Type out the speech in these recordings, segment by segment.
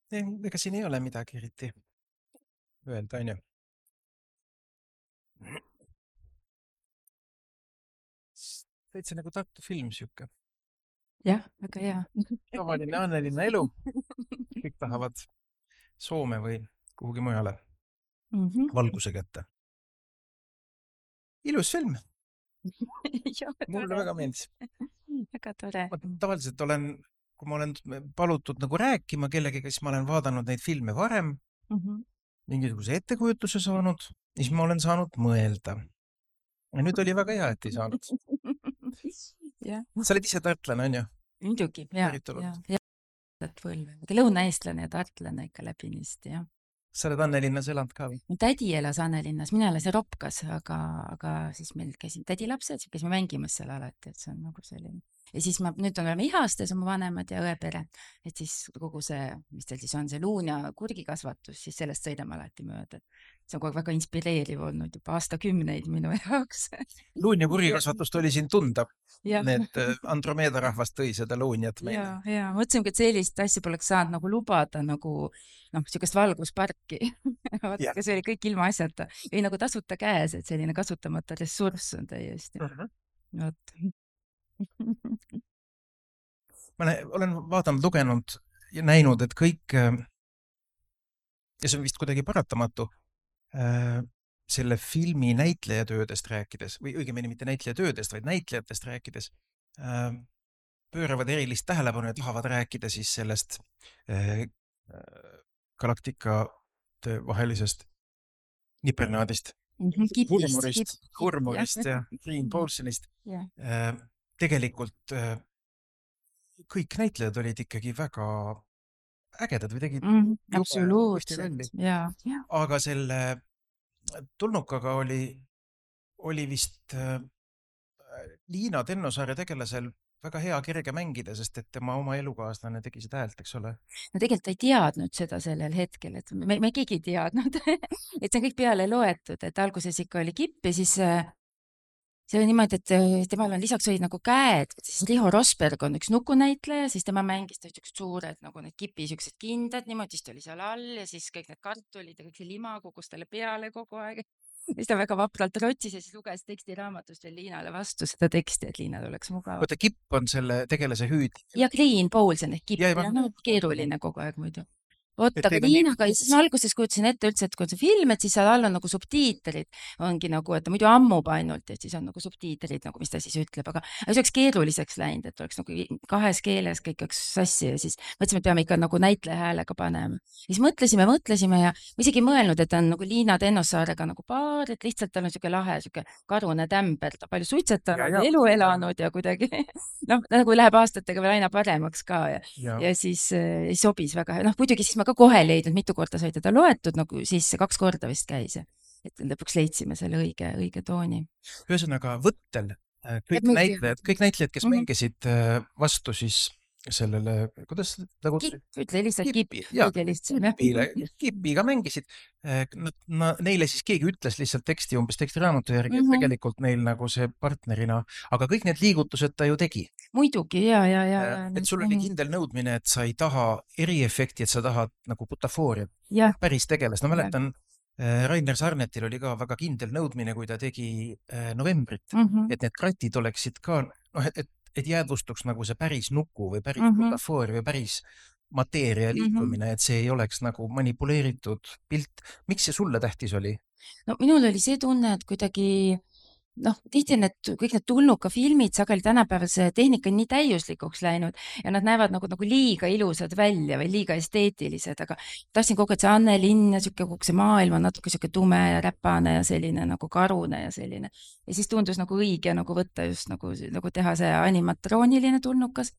Ega siin ei ole midagi eriti öelda, on ju. Täitsa nagu Tartu film siuke. Jah, väga hea. Tavaline Annelinna elu. Kõik tahavad Soome või kuhugi mujale valguse kätte. Ilus film. Mulle väga meeldis. Väga tore. Ma tavaliselt kui ma olen palutud nagu rääkima kellegagi, siis ma olen vaadanud neid filme varem, mingisuguse ettekujutuse saanud, siis ma olen saanud mõelda. Ja nüüd oli väga hea, et ei saanud. Sa oled ise tartlane, on ju? Muidugi, ja. Lõunaeestlane ja tartlane ikka läbinisti, jah. Sa oled Annelinnas elanud ka või? Tädi elas Annelinnas, mina elasin Ropkas, aga siis meil käisin tädi lapsed, käisime mängimas seal alati, et see on nagu selline. Ja siis nüüd oleme ihastes oma vanemad ja õepere, et siis kogu see, mis teil siis on, see luun ja kurgikasvatus, siis sellest sõidame alati mööda. See on kogu väga inspireeriv olnud juba aastakümneid minu jaoks. Luun ja kurgikasvatust oli siin tunda. Need Andromeeda rahvast tõi seda luunjat meile. Ja mõtlesingi, et sellist asja poleks saanud nagu lubada nagu niisugust valgusparki. See oli kõik ilma asjata. Ei nagu tasuta käes, et selline kasutamata ressurss on täiesti. Ma olen vaadanud, lugenud ja näinud, et kõik, ja see on vist kuidagi paratamatu, selle filmi näitlejatöödest rääkides, või õigemini mitte näitlejatöödest, vaid näitlejatest rääkides, pööravad erilist tähelepanu ja tahavad rääkida siis sellest galaktikate vahelisest nipernaadist, hurmurist ja Green Paulsonist. Tegelikult kõik näitlejad olid ikkagi väga ägedad või tegid absoluutselt, aga selle tulnukaga oli vist Liina Tennosaare tegelasel väga hea kerge mängida, sest et tema oma elukaaslane tegi seda häält, eks ole? No tegelikult ei teadnud seda sellel hetkel, et me keegi ei teadnud, et see on kõik peale loetud, et alguses ikka oli kipp ja siis see oli niimoodi, et temal on lisaks olid nagu käed, siis Riho Rosberg on üks nukunäitleja, siis tema mängis suured nagu need kipi siuksed kindad, niimoodi, siis ta oli seal all ja siis kõik need kartulid ja kõik see lima kogus talle peale kogu aeg. Siis ta väga vapralt rotsis ja siis luges tekstiraamatust veel Liinale vastu seda teksti, et Liinal oleks mugav. Oota, kipp on selle tegelase hüüd. Ja Green Paulson ehk kipp, keeruline kogu aeg muidu. Oota, aga Liinaga, siis ma alguses kujutasin ette üldse, et kui on see film, et siis seal all on nagu subtiitrid, ongi nagu, et muidu ammub ainult, et siis on nagu subtiitrid, nagu mis ta siis ütleb, aga see oleks keeruliseks läinud, et oleks nagu kahes keeles kõik üks sassi ja siis mõtlesime, et peame ikka nagu näitleja häälega panema. Siis mõtlesime ja ma isegi mõelnud, et on nagu Liina Tennossaarega nagu paar, et lihtsalt tal on siuke lahe, siuke karune tämber, ta palju suitsetanud, elu elanud ja kuidagi, nagu läheb aastatega veel aina paremaks ka ja siis sobis väga, muidugi siis ma ka kohe leidnud, mitu korda sai teda loetud, nagu siis 2 korda vist käis, et lõpuks leidsime selle õige tooni. Ühesõnaga võttel kõik näitlejad, kes mängisid vastu siis sellele, kuidas nagu... Ütle lihtsalt Kipiga mängisid. Neile siis keegi ütles lihtsalt teksti, umbes tekstiraamatu järgi, et tegelikult neil nagu see partnerina, aga kõik need liigutused ta ju tegi. Muidugi, et sul oli kindel nõudmine, et sa ei taha eriefekti, et sa tahad nagu butafooriat, päris tegelast. No mäletan, Rainer Sarnetil oli ka väga kindel nõudmine, kui ta tegi Novembrit, et need kratid oleksid ka, et jäädvustuks nagu see päris nuku või päris butafoor või päris mateeria liikumine, et see ei oleks nagu manipuleeritud pilt. Miks see sulle tähtis oli? No minul oli see tunne, et kuidagi tihti kõik need tulnuka filmid sageli tänapäeval see tehnika on nii täiuslikuks läinud ja nad näevad nagu liiga ilusad välja või liiga esteetilised, aga tahtsin kogu aeg see Annelinn ja kogu see maailm on natuke siuke tume ja räpane ja selline nagu karune ja selline. Ja siis tundus nagu õige nagu võtta just nagu teha see animatrooniline tulnukas.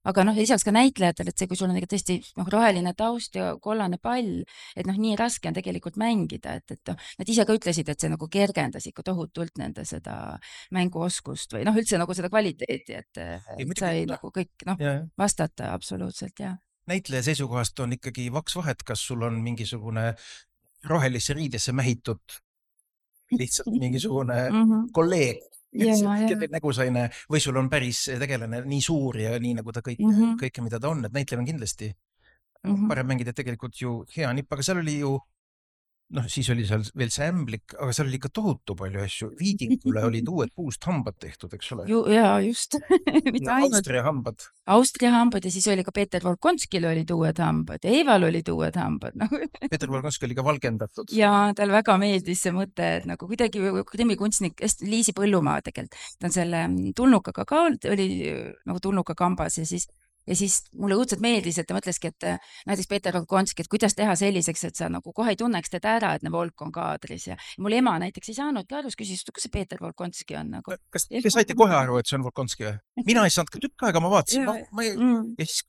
Aga lisaks ka näitlejatel, et see, kui sul on tõesti roheline taust ja kollane pall, et nii raske on tegelikult mängida, et nad ise ka ütlesid, et see nagu kergendas ikka tohutult nende seda mänguoskust või üldse nagu seda kvaliteeti, et sai nagu kõik vastata absoluutselt, jah. Näitleja seisukohast on ikkagi vaks vahet, kas sul on mingisugune rohelisse riidesse mähitud lihtsalt mingisugune kolleeg, kelle nägu sa ei näe, või sul on päris tegelane nii suur ja nii nagu ta kõike, mida ta on, et näitleja on kindlasti parem mängida tegelikult ju hea nipp, aga seal oli ju siis oli seal veel see ämblik, aga seal oli ikka tohutu palju asju. Viidingule olid uued puust hambad tehtud, eks ole? Jaa, just. Ja Austria hambad. Austria hambad ja siis oli ka Peeter Volkonskil olid uued hambad ja Eival olid uued hambad. Peeter Volkonski oli ka valgendatud. Ja tal väga meeldis see mõte, et nagu kuidagi krimikunstnik, Liisi Põllumaa tegelikult, ta on selle tulnukaga ka oli nagu tulnuka kambas ja siis mulle õudselt meeldis, et ta mõtleski, et näiteks Peeter Volkonski, et kuidas teha selliseks, et sa nagu kohe ei tunneks teda ära, et Volk on kaadris ja mul ema näiteks ei saanudki aru, küsis, kus see Peeter Volkonski on nagu. Kas te saite kohe aru, et see on Volkonski või? Mina ei saanud ka tükk aega, ma vaatasin, ja siis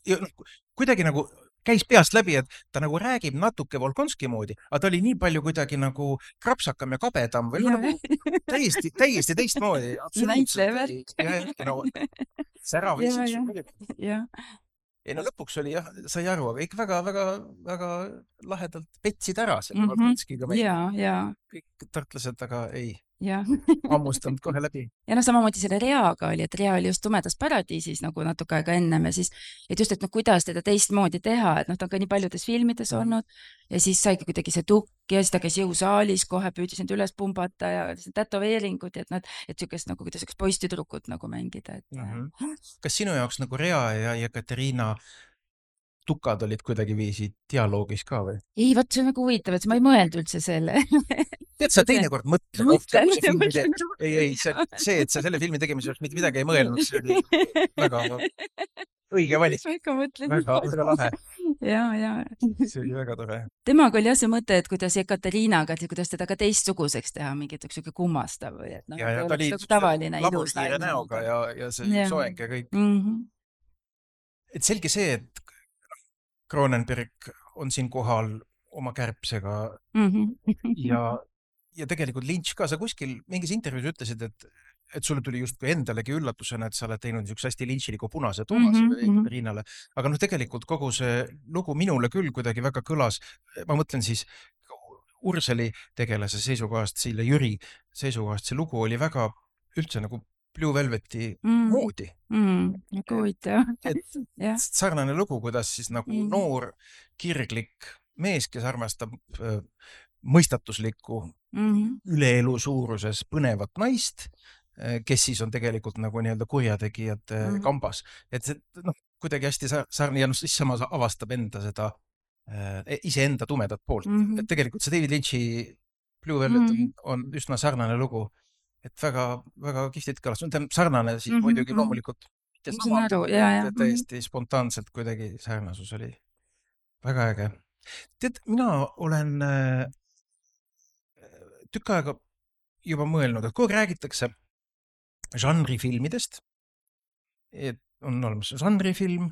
kuidagi nagu käis peast läbi, et ta nagu räägib natuke Volkonski moodi, aga ta oli nii palju kuidagi nagu krapsakam ja kabedam või nagu täiesti teistmoodi. Näitlevärt. Särav isiksus. Ei no lõpuks oli jah, sai aru, aga ikka väga lahedalt petsid ära selle Volkonskiga. Kõik tartlased, aga ei. Ammustanud kohe läbi. Ja samamoodi selle Reaga oli, et Rea oli just Tumedas paradiisis nagu natuke aega ennem ja siis, et just, et kuidas teda teistmoodi teha, et ta on ka nii paljudes filmides olnud ja siis saigi kuidagi see tukk ja siis ta käis jõusaalis kohe, püüdis end üles pumbata ja tätoveeringud ja et sükest nagu kuidas üks poistüdrukut nagu mängida. Kas sinu jaoks nagu Rea ja Ekaterina tukad olid kuidagi viisi dialoogis ka või? Ei, võt see on nagu huvitav, et ma ei mõelnud üldse selle. Tead, sa teinekord mõtle. Ei, see, et sa selle filmi tegemiseks mitte midagi ei mõelnud, see oli väga õige valik. Väga lahe. Ja. See oli väga tore. Temaga oli jah see mõte, et kuidas Ekaterinaga, et kuidas teda ka teistsuguseks teha, mingit üks kummastav või et ja ta oli tavaline laburkiire näoga ja see soeng ja kõik. Et selge see, et Cronenberg on siin kohal oma kärbsega ja tegelikult Lynch ka, sa kuskil mingis intervjuus ütlesid, et sulle tuli justkui endalegi üllatusena, et sa oled teinud niisuguse hästi lynchiliku punase Toomase Ekaterinale, aga tegelikult kogu see lugu minule küll kuidagi väga kõlas, ma mõtlen siis Urseli tegelase seisukohast, Siile Jüri seisukohast, see lugu oli väga üldse nagu Blue Velveti moodi. Sarnane lugu, kuidas siis nagu noor, kirglik mees, kes armastab mõistatuslikku üleelu suuruses põnevat naist, kes siis on tegelikult nagu nii-öelda kurjategijate kambas. Et see kuidagi hästi sarnane ja siis samas avastab enda seda iseenda tumedat poolt. Et tegelikult see David Lynch'i Blue Velvet on üsna sarnane lugu. Et väga kihvtit kõlas. Sarnane siis muidugi loomulikult täiesti spontaanselt kuidagi sarnasus oli väga äge. Tead, mina olen tükk aega juba mõelnud, et kui räägitakse žanrifilmidest, et on olemas žanrifilm,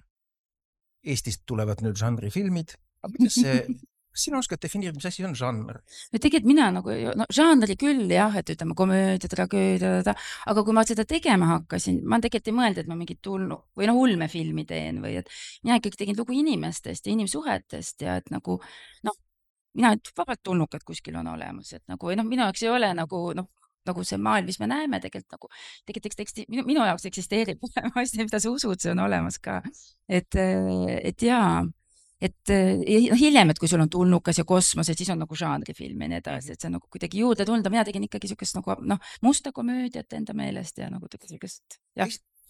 Eestist tulevad nüüd žanrifilmid, aga kuidas see sina oskad defineerida, mis asi on žanr? Tegelikult mina nagu, žanri küll jah, et ütleme komöödia, tragöödia, aga kui ma seda tegema hakkasin, ma tegelikult ei mõelnud, et ma mingit või ulmefilmi teen või et mina ikkagi tegin lugu inimestest ja inimsuhetest ja et nagu, mina vabalt tulnukad kuskil on olemas, et nagu, minu jaoks ei ole nagu see maailm, mis me näeme tegelikult minu jaoks eksisteerib asja, mida sa usud, see on olemas ka. Et jaa, et hiljem, et kui sul on tulnukas ja kosmos, et siis on nagu žanrifilm ja nii edasi, et see on nagu kuidagi juurde tulnud, mina tegin ikkagi sükest nagu musta komöödiat enda meelest ja nagu sükest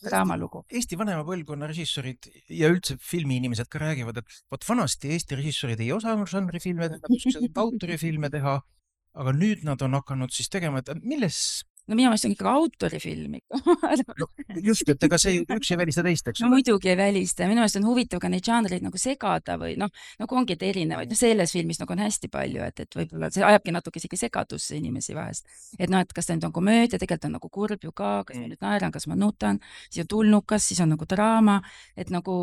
draamalugu. Eesti vanema põlvkonna režissoorid ja üldse filmiinimesed ka räägivad, et võt vanasti Eesti režissoorid ei osanud žanrifilme teha, nad oskasid autorifilme teha, aga nüüd nad on hakanud siis tegema, et milles minu meelest on ikka autorifilm just, et ega see üks ei välista teist, eks? Muidugi ei välista ja minu meelest on huvitav ka neid žanreid nagu segada või nagu ongi et erinevaid. Selles filmis nagu on hästi palju, et võib-olla see ajabki natuke isegi segadusse inimesi vahest. Et et kas ta nüüd on komöödia, tegelikult on nagu kurb ju ka, kas ma nüüd naeran, kas ma nutan, siis on tulnukas, siis on nagu draama, et nagu,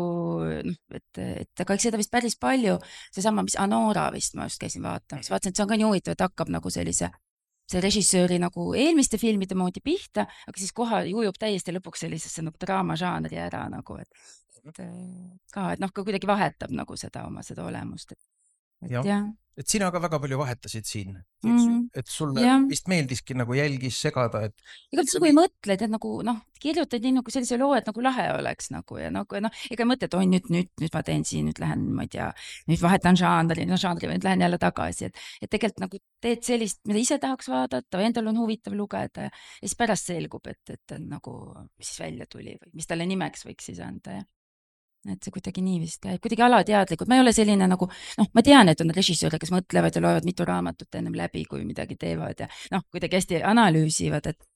et aga eks seda vist päris palju, seesama, mis Anora vist ma just käisin vaatamas, vaatasin, et see on ka nii huvitav, et hakkab nagu see režissööri nagu eelmiste filmide moodi pihta, aga siis koha ujub täiesti lõpuks sellisesse nagu draamažanri ära nagu, et kuidagi vahetab nagu seda oma seda olemust. jah, et sina ka väga palju vahetasid siin, et sulle vist meeldiski nagu jälgis segada, et ega sa kui mõtled, et nagu kirjutad nii nagu sellise loo, et nagu lahe oleks nagu ja nagu ega mõtled, oi nüüd ma teen siin, nüüd lähen, ma ei tea, nüüd vahetan žanri, nüüd lähen jälle tagasi, et tegelikult nagu teed sellist, mida ise tahaks vaadata või endal on huvitav lugeda ja siis pärast selgub, et nagu, mis siis välja tuli või mis talle nimeks võiks siis anda ja et see kuidagi nii vist käib, kuidagi alateadlikult, ma ei ole selline nagu, ma tean, et on režissööre, kes mõtlevad ja loevad mitu raamatut ennem läbi, kui midagi teevad ja kuidagi hästi analüüsivad, et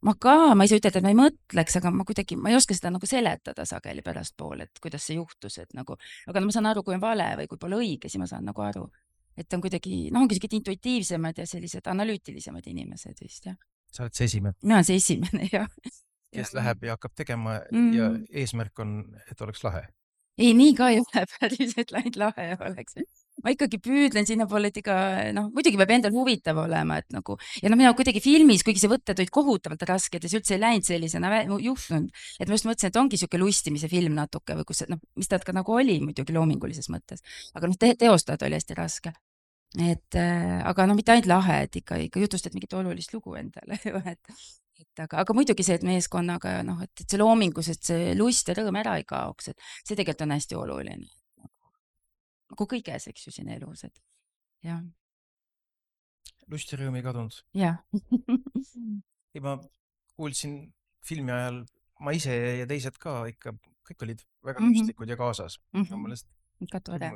ma ei saa ütelda, et ma ei mõtleks, aga ma ei oska seda nagu seletada sageli pärastpool, et kuidas see juhtus, et nagu, aga ma saan aru, kui on vale või kui pole õige, siis ma saan nagu aru, et on kuidagi, ongi sellised intuitiivsemad ja sellised analüütilisemad inimesed vist, jah. Sa oled see esimene? Mina olen see esimene, jah. Kes läheb ja hakkab tegema ja eesmärk on, et oleks lahe? Ei, nii ka ei ole päris, et ainult lahe oleks. Ma ikkagi püüdlen sinna poole, et muidugi peab endal huvitav olema, et nagu, ja mina kuidagi filmis, kuigi see võtted olid kohutavalt rasked ja see üldse ei läinud sellisena juhtunud, et ma just mõtlesin, et ongi siuke lustimise film natuke või kus, mis ta ka nagu oli muidugi loomingulises mõttes, aga teostada oli hästi raske. Aga mitte ainult lahe, et ikka jutustad mingit olulist lugu endale, aga muidugi see, et meeskonnaga, et see loomingus, et see lust ja rõõm ära ei kaoks, et see tegelikult on hästi oluline. Nagu kõiges, eks ju, siin elus, et jah. Lust ja rõõm ei kadunud? Jah. Ma kuulsin filmi ajal, ma ise ja teised ka ikka, kõik olid väga lustlikud ja kaasas. Ikka tore.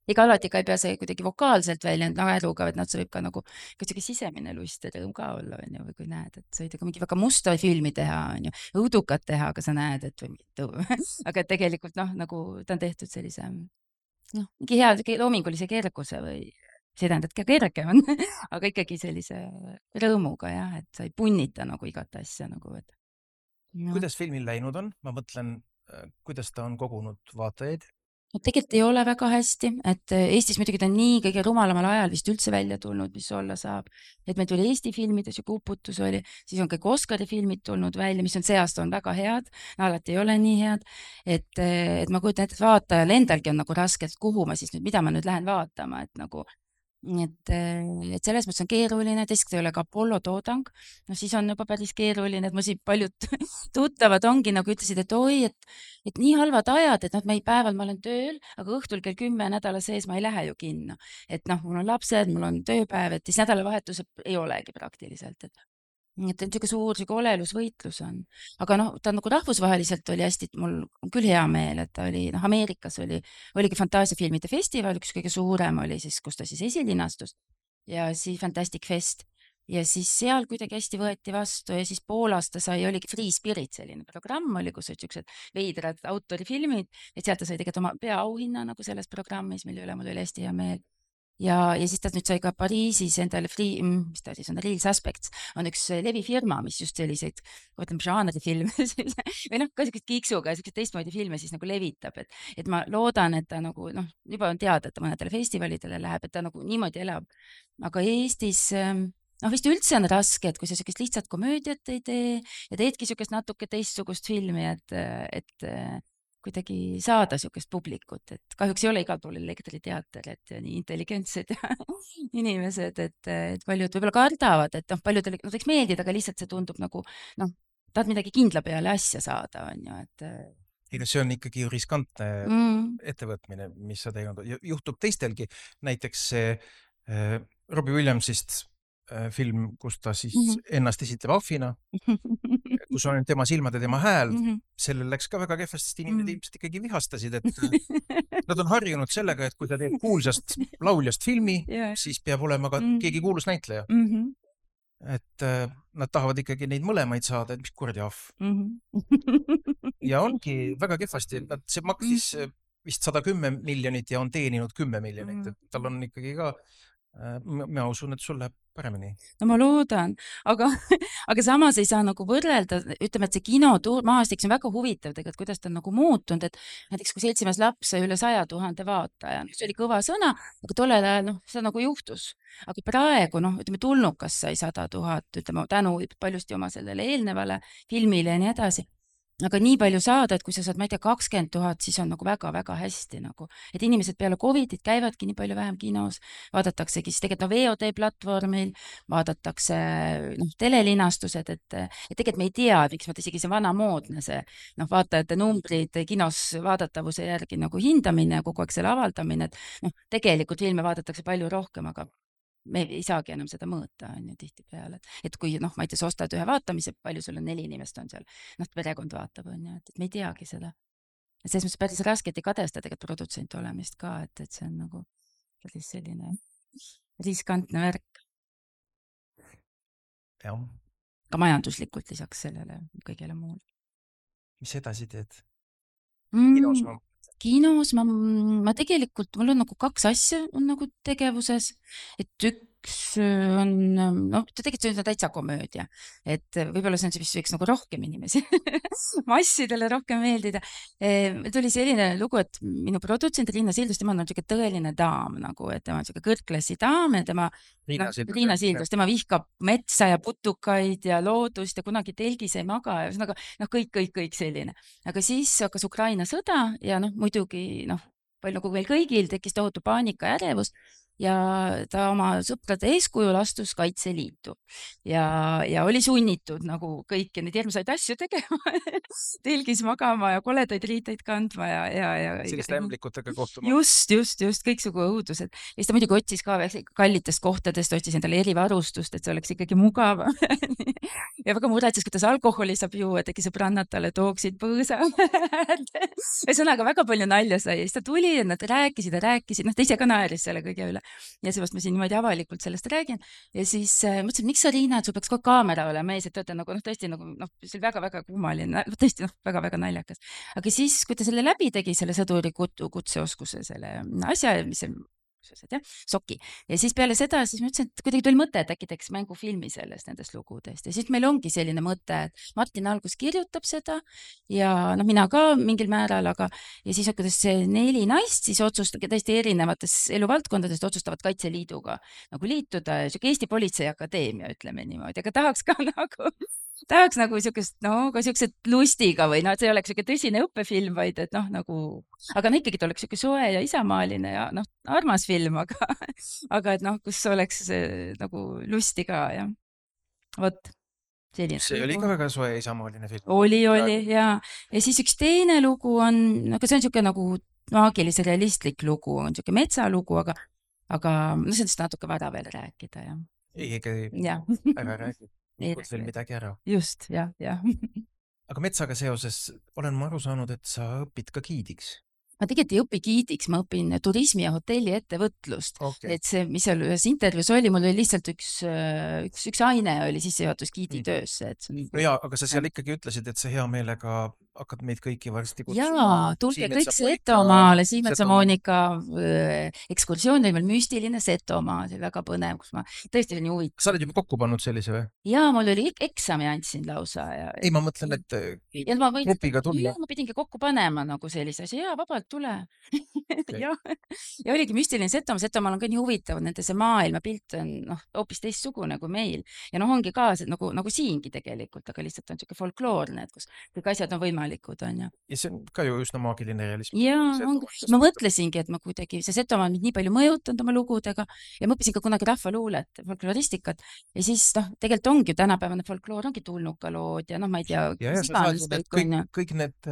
Ega alati ka ei pea see kuidagi vokaalselt välja naeruga, et see võib ka nagu kuidagi sisemine lust ja rõõm ka olla, või kui näed, et sa võid ka mingi väga musta filmi teha, õudukat teha, aga sa näed, et või mitu. Aga tegelikult nagu ta on tehtud sellise mingi hea loomingulise kerguse või see tähendab, et kerge on, aga ikkagi sellise rõõmuga jah, et sa ei punnita nagu igat asja nagu, et. Kuidas filmil läinud on? Ma mõtlen, kuidas ta on kogunud vaatajaid? Tegelikult ei ole väga hästi, et Eestis muidugi ta on nii kõige rumalamal ajal vist üldse välja tulnud, mis olla saab. Et meil tuli Eesti filmides ju Uputus oli, siis on kõik Oscari filmid tulnud välja, mis on see aasta on väga head, alati ei ole nii head. Et ma kujutan ette, et vaatajal endalgi on nagu raske, et kuhu ma siis nüüd, mida ma nüüd lähen vaatama, et nagu et selles mõttes on keeruline, teiseks ei ole ka Apollo toodang, siis on juba päris keeruline, et ma siin paljud tuttavad ongi nagu ütlesid, et oi, et nii halvad ajad, et päeval ma olen tööl, aga õhtul kell 10 nädala sees ma ei lähe ju kinno. Et mul on lapsed, mul on tööpäev, et siis nädalavahetusel ei olegi praktiliselt, et niisugune suur olelusvõitlus on. Aga ta nagu rahvusvaheliselt oli hästi, mul on küll hea meel, et ta oli, Ameerikas oligi fantaasiafilmide festival, üks kõige suurem oli siis, kus ta siis esilinastus ja siis Fantastic Fest ja siis seal kuidagi hästi võeti vastu ja siis Poolas ta sai, oligi Free Spirit selline programm oli, kus olid niisugused veidrad autorifilmid, et sealt ta sai tegelikult oma peaauhinna nagu selles programmis, mille üle mul oli hästi hea meel. Ja siis ta nüüd sai ka Pariisis endale mis ta siis on, Real Suspects on üks levifirma, mis just selliseid, ütleme, žanrifilme või ka sellised kiiksuga ja sellised teistmoodi filme siis nagu levitab, et ma loodan, et ta nagu, juba on teada, et ta mõnedele festivalidele läheb, et ta nagu niimoodi elab. Aga Eestis, vist üldse on raske, et kui sa sellist lihtsalt komöödiat ei tee ja teedki sellist natuke teistsugust filmi, et kuidagi saada sellist publikut, et kahjuks ei ole igal pool elektriteater, et nii intelligentsed inimesed, et paljud võib-olla kardavad, et paljudele võiks meeldida, aga lihtsalt see tundub nagu, tahad midagi kindla peale asja saada, on ju, et. Ega see on ikkagi ju riskantne ettevõtmine, mis sa teinud, juhtub teistelgi, näiteks see Robbie Williamsist film, kus ta siis ennast esitleb ahvina, kus on tema silmad ja tema hääl, sellel läks ka väga kehvasti, sest inimesed ilmselt ikkagi vihastasid, et nad on harjunud sellega, et kui ta teeb kuulsast lauljast filmi, siis peab olema ka keegi kuulus näitleja. Et nad tahavad ikkagi neid mõlemaid saada, et mis kuradi ahv. Ja ongi väga kehvasti, et see maksis vist 110 miljonit ja on teeninud 10 miljonit, et tal on ikkagi ka ma usun, et sul läheb paremini. No ma loodan, aga samas ei saa nagu võrrelda, ütleme, et see kinomaastik, see on väga huvitav tegelikult, kuidas ta on nagu muutunud, et näiteks kui Seltsimees laps sai üle 100 000 vaataja, see oli kõva sõna, aga tollel ajal see nagu juhtus. Aga praegu, ütleme, Tulnukas sai 100 000, ütleme, tänu paljusti oma sellele eelnevale filmile ja nii edasi. aga nii palju saada, et kui sa saad, ma ei tea, 20 000, siis on nagu väga-väga hästi nagu, et inimesed peale Covidit käivadki nii palju vähem kinos, vaadataksegi siis tegelikult VOD platvormil, vaadatakse telelinastused, et tegelikult me ei tea, miks vaata isegi see vanamoodne see vaatajate numbrid kinos vaadatavuse järgi nagu hindamine ja kogu aeg selle avaldamine, et tegelikult filme vaadatakse palju rohkem, aga me ei saagi enam seda mõõta, on ju tihtipeale, et kui ma ei tea, sa ostad ühe vaatamise, palju sul on 4 inimest on seal, perekond vaatab, on ju, et me ei teagi seda. Selles mõttes päris raske, et ei kadesta tegelikult produtsent olemist ka, et see on nagu päris selline riskantne värk. Ja. Ka majanduslikult lisaks sellele kõigele muule. Mis edasi teed? Kinos ma tegelikult, mul on nagu 2 asja on nagu tegevuses, et üks on, tegelikult see on täitsa komöödia, et võib-olla see on see, mis võiks nagu rohkem inimesi massidele rohkem meeldida. Tuli selline lugu, et minu produtsent Riina Sildus, tema on selline tõeline daam nagu, et tema on selline kõrgklassi daam ja tema Riina Sildus, tema vihkab metsa ja putukaid ja loodust ja kunagi telgis ei maga ja ühesõnaga kõik selline. Aga siis hakkas Ukraina sõda ja muidugi palju nagu meil kõigil tekkis tohutu paanika ja ärevus ja ta oma sõprade eeskujul astus Kaitseliitu ja oli sunnitud nagu kõiki neid hirmsaid asju tegema telgis magama ja koledaid riiteid kandma ja selliste ämblikutega kohtuma. Just, kõiksugu õudused. Ja siis ta muidugi otsis ka kallitest kohtadest, otsis endale erivarustust, et see oleks ikkagi mugav ja väga muretses, kuidas alkoholi saab juua, et äkki sõbrannad talle tooksid põõsa ühesõnaga väga palju nalja sai ja siis ta tuli ja nad rääkisid, ta ise ka naeris selle kõige üle ja seepärast ma siin niimoodi avalikult sellest räägin ja siis mõtlesin, miks sa, Riina, et sul peaks kogu kaamera olema ees, et tööta tõesti see oli väga-väga kummaline, tõesti väga-väga naljakas. Aga siis, kui ta selle läbi tegi, selle sõduri kutseoskuse selle asja, mis see soki. Ja siis peale seda, siis ma ütlesin, et kuidagi tuli mõte, et äkki teeks mängufilmi nendest lugudest. Ja siis meil ongi selline mõte, et Martin algus kirjutab seda ja mina ka mingil määral, aga ja siis kuidas see 4 naist siis otsustab täiesti erinevates eluvaldkondadest otsustavad Kaitseliiduga nagu liituda. Eesti Politseiakadeemia, ütleme niimoodi, aga tahaks nagu siukest, ka siukesed lustiga või see ei oleks siuke tõsine õppefilm, vaid et aga ikkagi ta oleks siuke soe ja isamaaline ja armas film, aga et kus oleks nagu lusti ka ja vot. See oli ka väga soe isamaaline film. Oli ja siis üks teine lugu on, aga see on siuke nagu maagilise realistlik lugu, on siuke metsalugu, aga sellest natuke vara veel rääkida ja. Ei, väga räägib. Ikut veel midagi ära. Just, jah. Aga metsaga seoses olen ma aru saanud, et sa õpid ka giidiks. Ma tegelikult ei õpi giidiks, ma õpin turismi ja hotelli ettevõtlust. Okay. Et see, mis seal ühes intervjuus oli, mul oli lihtsalt üks aine oli sissejuhatus giidi töösse. Aga sa seal ikkagi ütlesid, et sa hea meelega hakkad meid kõiki varsti kutsuma. Jaa, tulge kõik Setomaale, Siimetsa Moonika ekskursioon oli meil müstiline Setomaa, see oli väga põnev, kus ma tõesti olin huvitav. Sa oled juba kokku pannud sellise või? Jaa, mul oli eksami andsin lausa. Ei, ma mõtlen, et grupiga tulla. Ma pidingi kokku panema nagu sellise asja, jaa, vabalt tule. Ja oligi müstiline Setomaal on ka nii huvitav, nende see maailmapilt on hoopis teistsugune kui meil. Ja ongi ka nagu siingi tegelikult, aga lihtsalt on siuke folkloorne, et kus kõik asjad on võimalikud, on ju. Ja see on ka ju üsna maagiline realism. Jaa, ma mõtlesingi, et ma kuidagi, see Setomaa on nii palju mõjutanud oma lugudega ja ma õppisin ka kunagi rahvaluulet, folkloristikat ja siis tegelikult ongi ju tänapäevane folkloor, ongi tulnukalood ja ma ei tea. Ja sa saad kõik need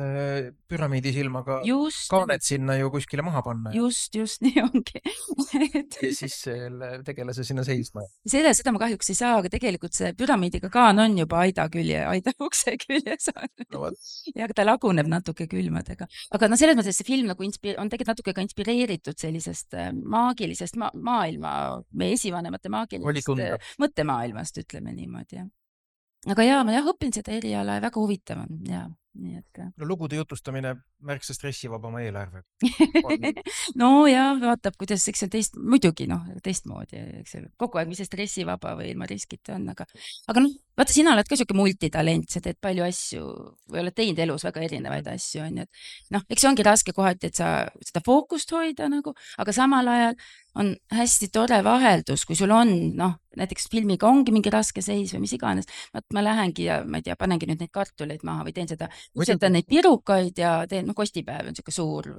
püramiidisilmaga kaaned sinna ju kuskile maha panna. Just, nii ongi. Ja siis tegelase sinna seisma. Seda ma kahjuks ei saa, aga tegelikult see püramiidiga kaan on juba aida ukse küljes. Ja ta laguneb natuke külmadega. Aga selles mõttes see film nagu on tegelikult natuke ka inspireeritud sellisest maagilisest maailma, meie esivanemate maagilisest mõttemaailmast, ütleme niimoodi. Aga ma õpin seda eriala ja väga huvitav on. Nii et. No lugude jutustamine märksa stressivabama eelarve. No ja vaatab, kuidas eks see muidugi teistmoodi, eks see kogu aeg, mis see stressivaba või ilma riskita on, aga vaata, sina oled ka siuke multitalent, sa teed palju asju või oled teinud elus väga erinevaid asju, on ju. Eks see ongi raske kohati, et sa seda fookust hoida nagu, aga samal ajal on hästi tore vaheldus, kui sul on, näiteks filmiga ongi mingi raske seis või mis iganes, ma lähengi ja ma ei tea, panengi nüüd neid kartuleid maha või teen seda ütletan neid pirukaid ja teen, kostipäev on siuke suur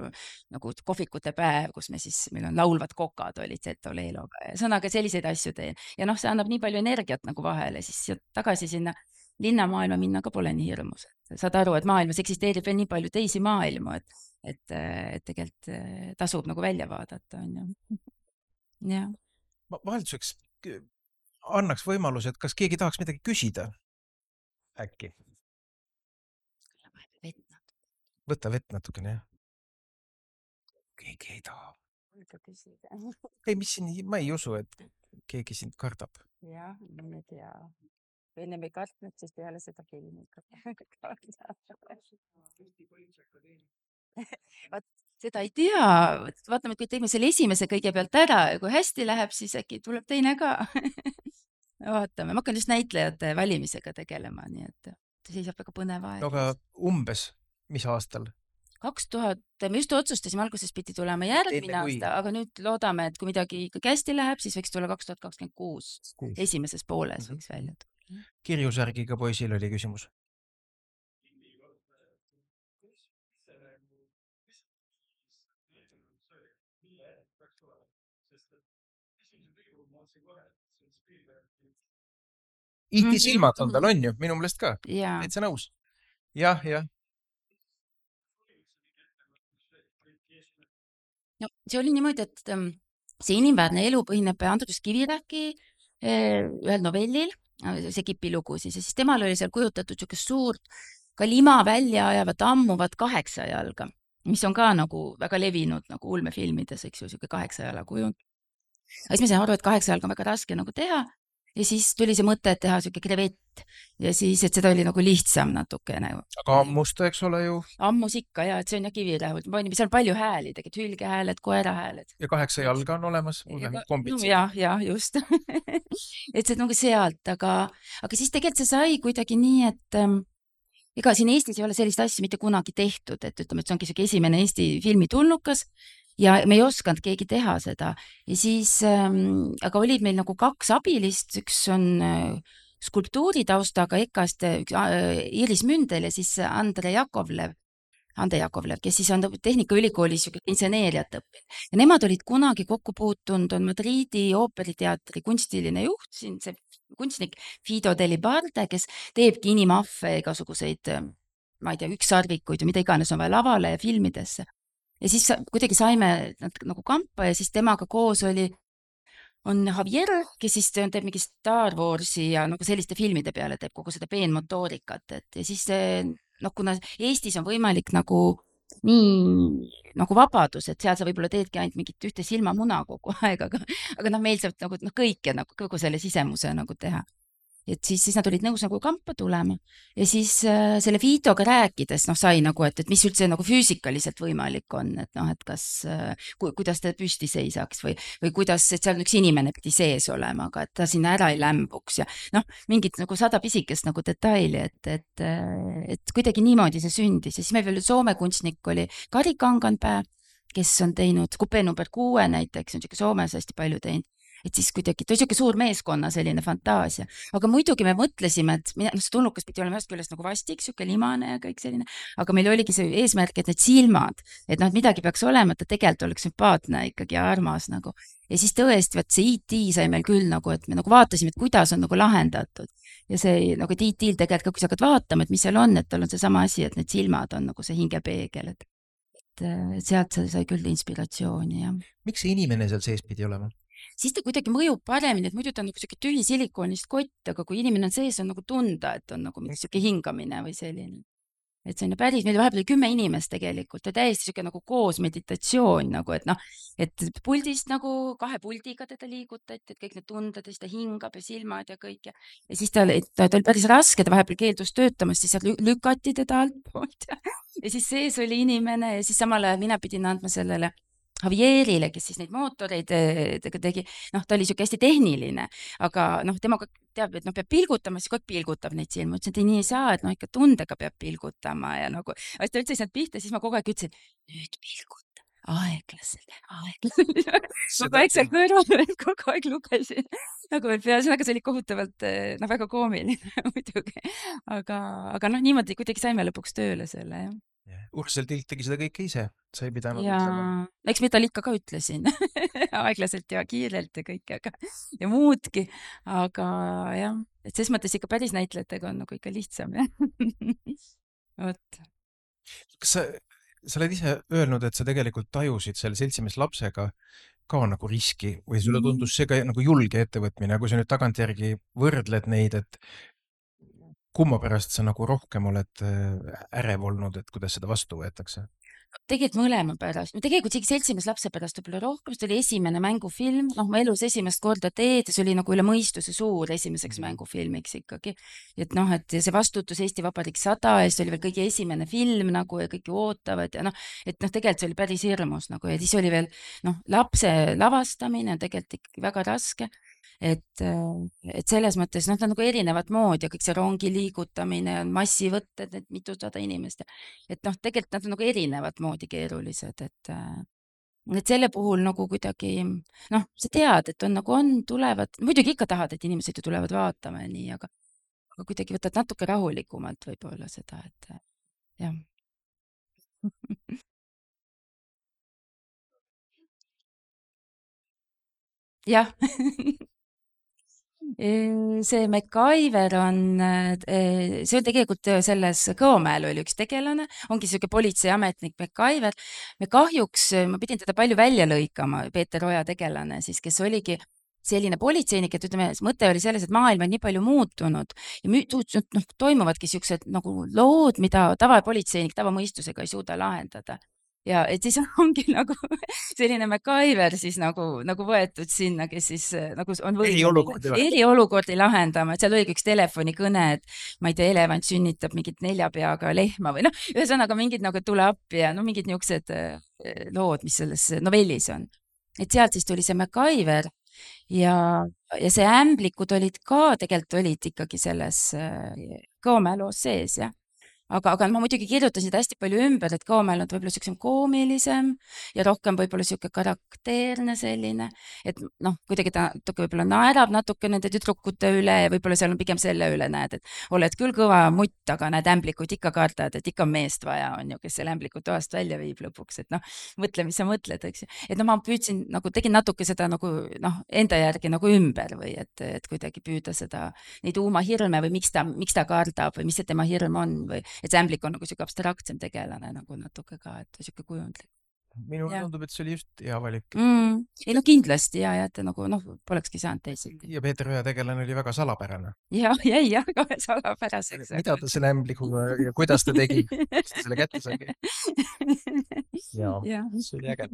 nagu kohvikute päev, kus meil on laulvad kokad olid Zeto Leeloga ja sõnaga selliseid asju teen. Ja see annab nii palju energiat nagu vahele, siis tagasi sinna linnamaailma minna ka pole nii hirmus. Saad aru, et maailmas eksisteerib veel nii palju teisi maailmu, et tegelikult tasub nagu välja vaadata, on ju. Ja. Vahelduseks annaks võimaluse, et kas keegi tahaks midagi küsida? Äkki? Võta vett natukene, jah. Keegi ei taha. Ei, mis siin, ma ei usu, et keegi sind kardab. Jah, ma ei tea. Enne me kartnud, siis peale seda filmi. Seda ei tea. Vaatame, kui teeme selle esimese kõigepealt ära ja kui hästi läheb, siis äkki tuleb teine ka. Vaatame. Ma hakkan just näitlejate valimisega tegelema, nii et see saab väga põnev aeg. Aga umbes, mis aastal? 2000, me just otsustasime, alguses pidi tulema järgmine aasta, aga nüüd loodame, et kui midagi ikkagi hästi läheb, siis võiks tulla 2026 esimeses pooles võiks välja tulla. Kirjusärgiga poisil oli küsimus. Iti silmad on tal, on ju, minu meelest ka. Et sa nõus? Jah. No, see oli niimoodi, et see inimväärne elu põhineb Andrus Kivirähki ühel novellil, see Kipi lugu siis, ja siis temal oli seal kujutatud niisugust suurt ka lima välja ajavat ammuvat 8 jalga, mis on ka nagu väga levinud nagu ulmefilmides, eks ju, niisugune 8 jala kujund. Ja siis ma sain aru, et 8 jalga on väga raske nagu teha. Ja siis tuli see mõte, et teha siuke krevett ja siis, et seda oli nagu lihtsam natukene. Aga ammusta, eks ole ju? Ammus ikka, ja, et see on ja Kivirähult. Seal on palju hääli, tegelikult hülgehääled, koerahääled. Ja 8 jalga on olemas? Ja, just. Et see nagu sealt, aga siis tegelikult see sai kuidagi nii, et ega siin Eestis ei ole sellist asja mitte kunagi tehtud, et ütleme, et see ongi siuke esimene Eesti filmi tulnukas. Ja me ei osanud keegi teha seda. Ja siis, aga olid meil nagu 2 abilist, üks on skulptuuritaustaga EKA-st Iris Mündel ja siis Ande Jakovlev, kes siis on Tehnikaülikoolis inseneeriat õppinud. Ja nemad olid kunagi kokku puutunud, on Madridi ooperiteatri kunstiline juht, siin see kunstnik Fido Delibarde, kes teebki inimaffe igasuguseid, ma ei tea, ükssarvikuid ja mida iganes on vaja lavale ja filmidesse. Ja siis kuidagi saime nagu kampa ja siis temaga koos on Javier, kes siis teeb mingi Star Warsi ja nagu selliste filmide peale teeb kogu seda peenmotoorikat. Ja siis kuna Eestis on võimalik nagu nii nagu vabadus, et seal sa võib-olla teedki ainult mingit ühte silmamuna kogu aeg, aga meil saab nagu kõike nagu kogu selle sisemuse nagu teha. Et siis nad olid nõus nagu kampa tulema ja siis selle Fiidoga rääkides sai nagu, et mis üldse nagu füüsikaliselt võimalik on, et kas, kuidas ta püsti seisaks või kuidas, et seal üks inimene pidi sees olema, aga et ta sinna ära ei lämbuks ja mingid nagu 100 pisikest nagu detaili, et kuidagi niimoodi see sündis ja siis meil veel Soome kunstnik oli Kari Kanganpää, kes on teinud Kupe number 6 näiteks, on siuke Soomes hästi palju teinud. Et siis kuidagi, ta oli siuke suur meeskonna selline fantaasia, aga muidugi me mõtlesime, et see tulnukas pidi olema ühest küljest nagu vastik, siuke limane ja kõik selline, aga meil oligi see eesmärk, et need silmad, et midagi peaks olema, et ta tegelikult oleks sümpaatne ikkagi ja armas nagu. Ja siis tõesti, see IT sai meil küll nagu, et me nagu vaatasime, et kuidas on nagu lahendatud ja see nagu IT-l tegelikult, kui sa hakkad vaatama, et mis seal on, et tal on see sama asi, et need silmad on nagu see hingepeegel, et sealt sai küll inspiratsiooni, jah. Miks see inimene seal sees pidi olema? Siis ta kuidagi mõjub paremini, et muidu ta on nagu siuke tühi silikoonist kott, aga kui inimene on sees, on nagu tunda, et on nagu mingi siuke hingamine või selline. Et see on päris, meil vahepeal 10 inimest tegelikult ja täiesti siuke nagu koos meditatsioon nagu, et puldist nagu 2 puldiga teda liigutati, et kõik need tunded, siis ta hingab ja silmad ja kõik ja siis ta oli päris raske, ta vahepeal keeldus töötamast, siis lükati teda altpoolt ja siis sees oli inimene ja siis samal ajal mina pidin andma sellele Javierile, kes siis neid mootoreid tegi, ta oli siuke hästi tehniline, aga temaga teab, et peab pilgutama, siis kogu pilgutab neid silma, ütlesin, et nii ei saa, et ikka tundega peab pilgutama ja nagu, ta üldse ei saanud pihta, siis ma kogu aeg ütlesin, nüüd pilguta. aeglaselt. Kogu aeg seal kõrval veel kogu aeg lugesin nagu veel peas, aga see oli kohutavalt väga koomiline muidugi. Aga niimoodi kuidagi saime lõpuks tööle selle, jah. Ursel Tilt tegi seda kõike ise, sa ei pidanud ütlema. Eks mida ikka ka ütlesin aeglaselt ja kiirelt ja kõike, ja muudki, aga jah, et ses mõttes ikka päris näitlejatega on nagu ikka lihtsam, jah. Vot. Kas sa oled ise öelnud, et sa tegelikult tajusid selle seltsimees lapsega ka nagu riski või sulle tundus see ka nagu julge ettevõtmine, kui sa nüüd tagantjärgi võrdled neid, et kumma pärast sa nagu rohkem oled ärev olnud, et kuidas seda vastu võetakse? Tegelikult mõlema pärast. Tegelikult isegi seltsimees lapse pärast võib-olla rohkem, see oli esimene mängufilm, ma elus esimest korda teed ja see oli nagu üle mõistuse suur esimeseks mängufilmiks ikkagi. Et see vastutus Eesti Vabariik 100 ja see oli veel kõige esimene film nagu ja kõik ju ootavad ja tegelikult see oli päris hirmus nagu ja siis oli veel lapse lavastamine tegelikult ikkagi väga raske. Et selles mõttes nad on nagu erinevat moodi ja kõik see rongi liigutamine on massivõtted, et mitusada inimest. Et tegelikult nad on nagu erinevat moodi keerulised, et selle puhul nagu kuidagi, sa tead, et on nagu tulevad, muidugi ikka tahad, et inimesed ju tulevad vaatama ja nii, aga kuidagi võtad natuke rahulikumalt võib-olla seda, et jah. jah. See MacGyver on, see on tegelikult selles Kõomäel oli üks tegelane, ongi selline politseiametnik MacGyver. Me kahjuks, ma pidin teda palju välja lõikama, Peeter Oja tegelane siis, kes oligi selline politseinik, et ütleme, mõte oli selles, et maailm on nii palju muutunud ja toimuvadki siuksed nagu lood, mida tavapolitseinik tavamõistusega ei suuda lahendada. Ja et siis ongi nagu selline MacGyver siis nagu võetud sinna, kes siis nagu on eriolukordi lahendama, et seal oligi üks telefonikõne, et ma ei tea, elevant sünnitab mingit 4 peaga lehma või ühesõnaga mingid nagu tule appi ja mingid niisugused lood, mis selles novellis on. Et sealt siis tuli see MacGyver ja see ämblikud olid ka, tegelikult olid ikkagi selles Kõomäe loos sees, jah. Aga ma muidugi kirjutasin seda hästi palju ümber, et Kõomäel on võib-olla siuksem koomilisem ja rohkem võib-olla siuke karakteerne selline, et kuidagi ta võib-olla naerab natuke nende tüdrukute üle ja võib-olla seal on pigem selle üle näed, et oled küll kõva mutt, aga näed ämblikud ikka kardad, et ikka meest vaja on ju, kes selle ämbliku toast välja viib lõpuks, et mõtle, mis sa mõtled, eks ju. Et ma püüdsin tegin natuke seda enda järgi ümber või et kuidagi püüda seda, neid uumahirme või miks ta kardab või mis see tema hirm on või et see ämblik on nagu siuke abstraktsem tegelane nagu natuke ka, et siuke kujundlik. Minule tundub, et see oli just hea valik. Ei kindlasti ja et polekski saanud teisiti. Ja Peeter Oja tegelane oli väga salapärane. Jäi ka salapäraseks. Mida ta selle ämblikuga ja kuidas ta tegi? Kuidas ta selle kätte sai? Ja, see oli äge.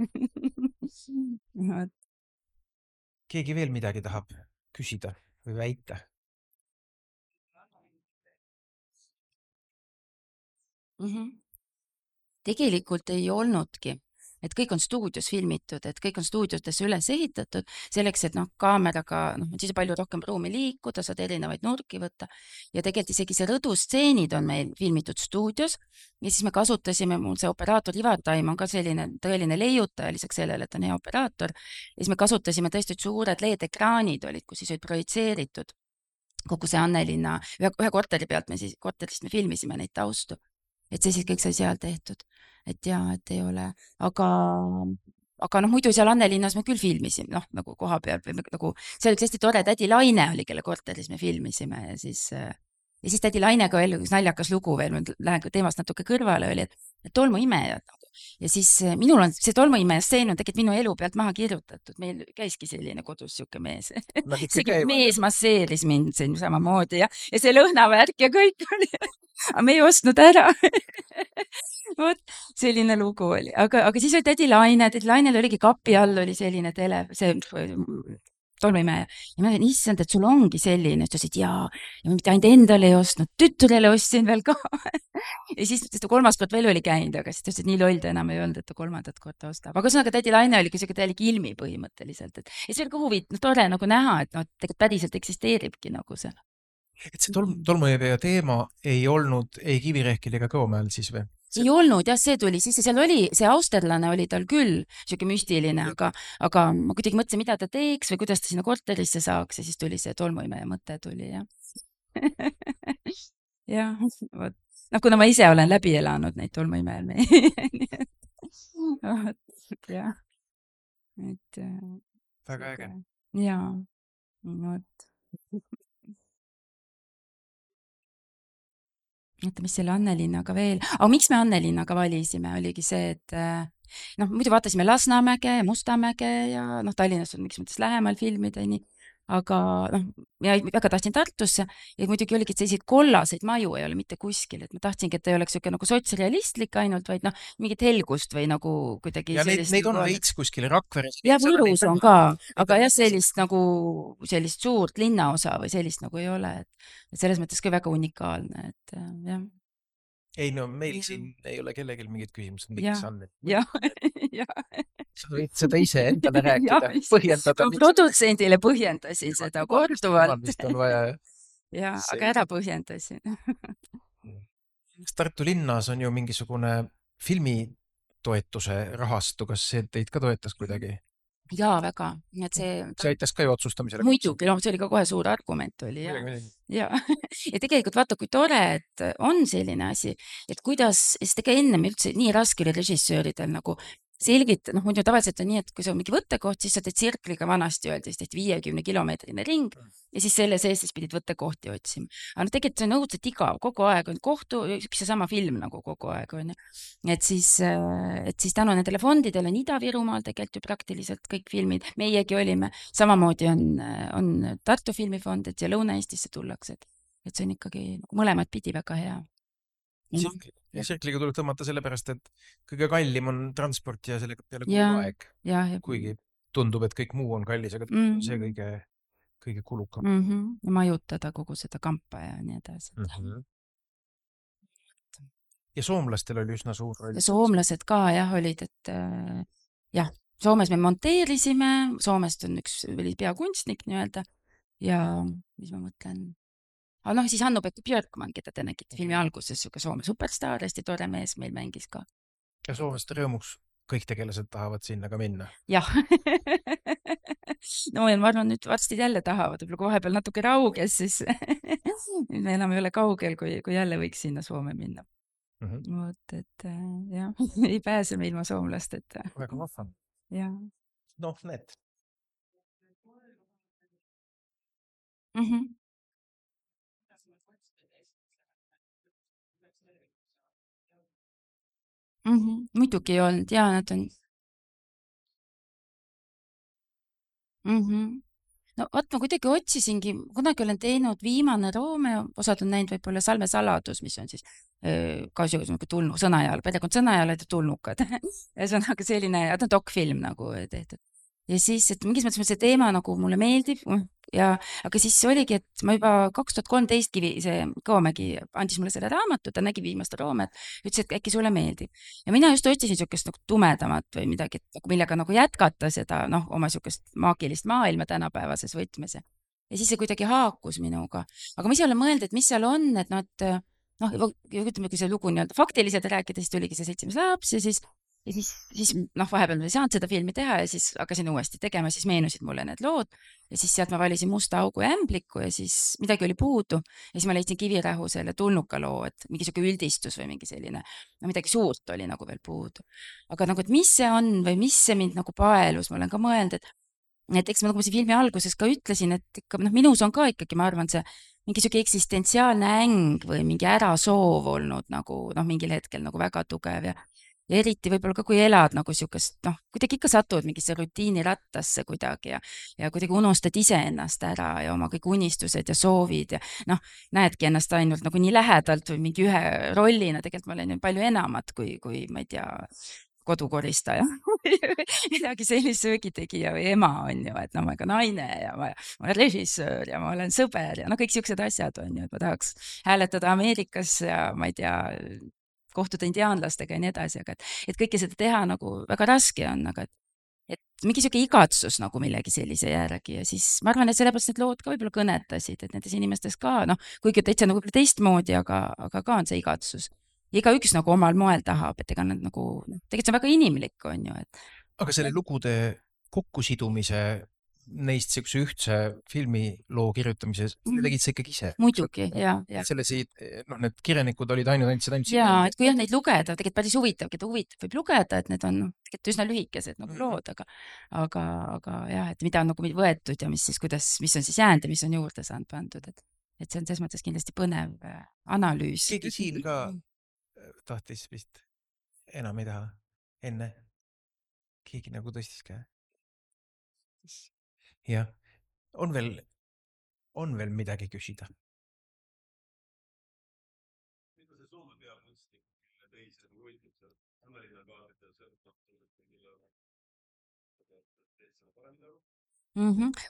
Keegi veel midagi tahab küsida või väita? Tegelikult ei olnudki, et kõik on stuudios filmitud, et kõik on stuudiotesse üles ehitatud selleks, et kaameraga, siis palju rohkem ruumi liikuda, saad erinevaid nurki võtta ja tegelikult isegi see rõdustseenid on meil filmitud stuudios ja siis me kasutasime, mul see operaator Ivar Taim on ka selline tõeline leiutaja, lisaks sellele, et on hea operaator ja siis me kasutasime tõesti suured LED-ekraanid olid, kus siis olid projitseeritud kogu see Annelinna, ühe korteri pealt korterist me filmisime neid taustu. Et see siis kõik sai seal tehtud, et et ei ole, aga muidu seal Annelinnas me küll filmisime, nagu koha peal või nagu, see oli hästi tore, tädi Laine oli, kelle korteris me filmisime ja siis tädi Lainega veel üks naljakas lugu veel, ma lähen teemast natuke kõrvale, oli, et tolmuimejad ja siis minul on see tolmuimeja stseen on tegelikult minu elu pealt maha kirjutatud, meil käiski selline kodus siuke mees, mees masseeris mind siin samamoodi ja see lõhnavärk ja kõik oli aga me ei ostnud ära. Vot, selline lugu oli. Aga siis oli tädi Lainel oligi kapi all oli selline see tolmuimeja. Ja ma ütlen, issand, et sul ongi selline. Ta ütles, et jaa. Ja ma mitte ainult endale ei ostnud, tütrele ostsin veel ka. Ja siis ta 3. kord veel oli käinud, aga siis ta ütles, et nii loll ta enam ei olnud, et ta 3. korda ostab. Aga sõnaga tädi Laine oli siuke täielik ilmi põhimõtteliselt. Ja see oli ka huvitav, tore nagu näha, et tegelikult päriselt eksisteeribki nagu see. Et see tolmuimeja teema ei olnud ei Kivirehkil ega Kõomäel siis või? ei olnud jah, see tuli sisse, seal oli, see austerlane oli tal küll siuke müstiline, aga ma kuidagi mõtlesin, mida ta teeks või kuidas ta sinna korterisse saaks ja siis tuli see tolmuimeja mõte tuli jah. jah, vot. Noh, kuna ma ise olen läbi elanud neid tolmuimejal. jah. Et. Väga äge. Jaa, vot. Oota, mis selle Annelinnaga veel? Aga miks me Annelinnaga valisime, oligi see, et muidu vaatasime Lasnamäge ja Mustamäge ja Tallinnas on miks mõttes lähemal filmideni, aga ja väga tahtsin Tartusse ja muidugi oligi, et selliseid kollaseid maju ei ole mitte kuskil, et ma tahtsingi, et ei oleks siuke nagu sotsrealistlik ainult, vaid mingit helgust või nagu kuidagi ja neid on veits kuskil Rakveres. Ja Võrus on ka, aga jah, sellist suurt linnaosa või sellist nagu ei ole, et selles mõttes ka väga unikaalne, et jah. Ei no meil siin ei ole kellelgi mingit küsimust, miks on. Jah. Sa võid seda ise endale rääkida, põhjendada. Produtsendile põhjendasin seda korduvalt. On vaja. Ja, aga ära põhjendasin. Tartu linnas on ju mingisugune filmitoetuse rahastu, kas see teid ka toetas kuidagi? Jaa, väga. See aitas ka ju otsustamisele. Muidugi, see oli ka kohe suur argument oli. Ja tegelikult vaata, kui tore, et on selline asi, et kuidas, sest ega ennem üldse nii raske oli režissööridel nagu selgita, muidu tavaliselt on nii, et kui see on mingi võttekoht, siis sa teed tsirkliga vanasti öeldes, tehti 50 kilomeetrine ring ja siis selle sees siis pidid võttekohti otsima. Aga tegelikult see on õudselt igav, kogu aeg on kohtu, üks sama film nagu kogu aeg on. Et siis tänu nendele fondidele on Ida-Virumaal tegelikult ju praktiliselt kõik filmid, meiegi olime, samamoodi on Tartu filmifond, et ja Lõuna-Eestisse tullakse, et see on ikkagi mõlemad pidi väga hea. Ja tsirkliga tuleb tõmmata sellepärast, et kõige kallim on transport ja sellega peale kogu aeg. Kuigi tundub, et kõik muu on kallis, aga see kõige kulukam. Ja majutada kogu seda kampa ja nii edasi. Ja soomlastel oli üsna suur roll. Ja soomlased ka olid, et jah, Soomes me monteerisime, Soomest on üks peakunstnik nii-öelda ja mis ma mõtlen... Aga siis Hannu-Pekka Björkman, keda te nägite filmi alguses, Soome superstaar, hästi tore mees meil mängis ka. Ja Soomeste rõõmuks kõik tegelased tahavad sinna ka minna. Jah. No ma arvan, nüüd varsti jälle tahavad, võib-olla kui vahepeal natuke rauges, siis me enam ei ole kaugel, kui jälle võiks sinna Soome minna. Vot, et jah, ei pääse me ilma soomlasteta. Väga vahva. Jah. Noh, need. Muidugi ei olnud, jaa, nad on. No vaat ma kuidagi otsisingi, kunagi olen teinud Viimane Romeo, osad on näinud võib-olla Salme saladus, mis on siis ka tulnud Sõnajaal, perekond Sõnajalad ja tulnukad. Ja see on aga selline dokfilm nagu tehtud. Ja siis, et mingis mõttes see teema nagu mulle meeldib, aga siis oligi, et ma juba 2013 see Kõomägi andis mulle selle raamatu, ta nägi Viimast Roomet, ütles, et äkki sulle meeldib. Ja mina just otsisin siukest nagu tumedamat või midagi, millega nagu jätkata seda oma siukest maagilist maailma tänapäevases võtmes. Ja siis see kuidagi haakus minuga. Aga ma ise olen mõelnud, et mis seal on, et ütleme, kui see lugu nii-öelda faktiliselt rääkida, siis tuligi see 7 laps ja siis vahepeal ma ei saanud seda filmi teha ja siis hakkasin uuesti tegema, siis meenusid mulle need lood ja siis sealt ma valisin Musta augu ja Ämbliku ja siis midagi oli puudu ja siis ma leidsin Kivirähu selle tulnuka loo, et mingi siuke üldistus või mingi selline, midagi suurt oli nagu veel puudu. Aga nagu, et mis see on või mis see mind nagu paelus, ma olen ka mõelnud, et eks ma nagu filmi alguses ka ütlesin, et ikka, minus on ka ikkagi, ma arvan, see mingi siuke eksistentsiaalne äng või mingi ärasoov olnud nagu mingil hetkel nagu väga tugev ja eriti võib-olla ka, kui elad nagu siukest, kuidagi ikka satud mingisse rutiinirattasse kuidagi ja kuidagi unustad iseennast ära ja oma kõik unistused ja soovid ja näedki ennast ainult nagu nii lähedalt või mingi ühe rollina, tegelikult ma olen ju palju enamat kui ma ei tea, kodukoristaja, midagi sellist söögitegija või ema on ju, et ma olen ka naine ja ma olen režissöör ja ma olen sõber ja kõik siuksed asjad on ju, et ma tahaks hääletada Ameerikas ja ma ei tea, kohtuda indiaanlastega ja nii edasi, aga et kõike seda teha nagu väga raske on, aga et mingi siuke igatsus nagu millegi sellise järgi ja siis ma arvan, et sellepärast need lood ka võib-olla kõnetasid, et nendes inimestes ka, kuigi täitsa nagu teistmoodi, aga ka on see igatsus igaüks nagu omal moel tahab, et ega nad nagu, tegelikult see on väga inimlik, on ju, et. Aga selle lugude kokkusidumise neist siukse ühtse filmiloo kirjutamise, tegid sa ikkagi ise? Muidugi, ja. Selles need kirjanikud olid andsid jaa, et kui jah neid lugeda, tegelikult päris huvitav, keda huvitab võib lugeda, et need on tegelikult üsna lühikesed nagu lood, aga jah, et mida on nagu võetud ja mis siis, mis on siis jäänud ja mis on juurde saanud pandud, et see on selles mõttes kindlasti põnev analüüs. Keegi siin ka tahtis vist enam ei taha enne? Keegi nagu tõstis käe? Jah, on veel midagi küsida? Mida see Soome peakunstnik, mille teise võitleb seal Annalina kaartel seal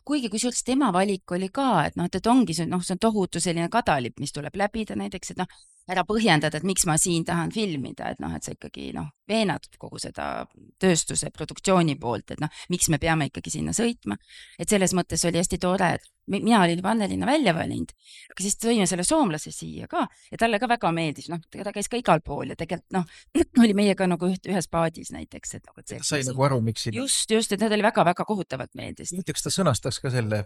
kuigi kusjuures tema valik oli ka, et et ongi see on tohutu selline kadalipp, mis tuleb läbida näiteks, et ära põhjendada, et miks ma siin tahan filmida, et et sa ikkagi veenad kogu seda tööstuse produktsiooni poolt, et miks me peame ikkagi sinna sõitma. Et selles mõttes oli hästi tore, et mina olin juba Annelina välja valinud, aga siis tõime selle soomlase siia ka ja talle ka väga meeldis, ta käis ka igal pool ja tegelikult oli meiega nagu ühes paadis näiteks. Et sai nagu aru, miks siin... Just, et ta oli väga-väga kohutavalt meeldis. Kas ta sõnastas ka selle,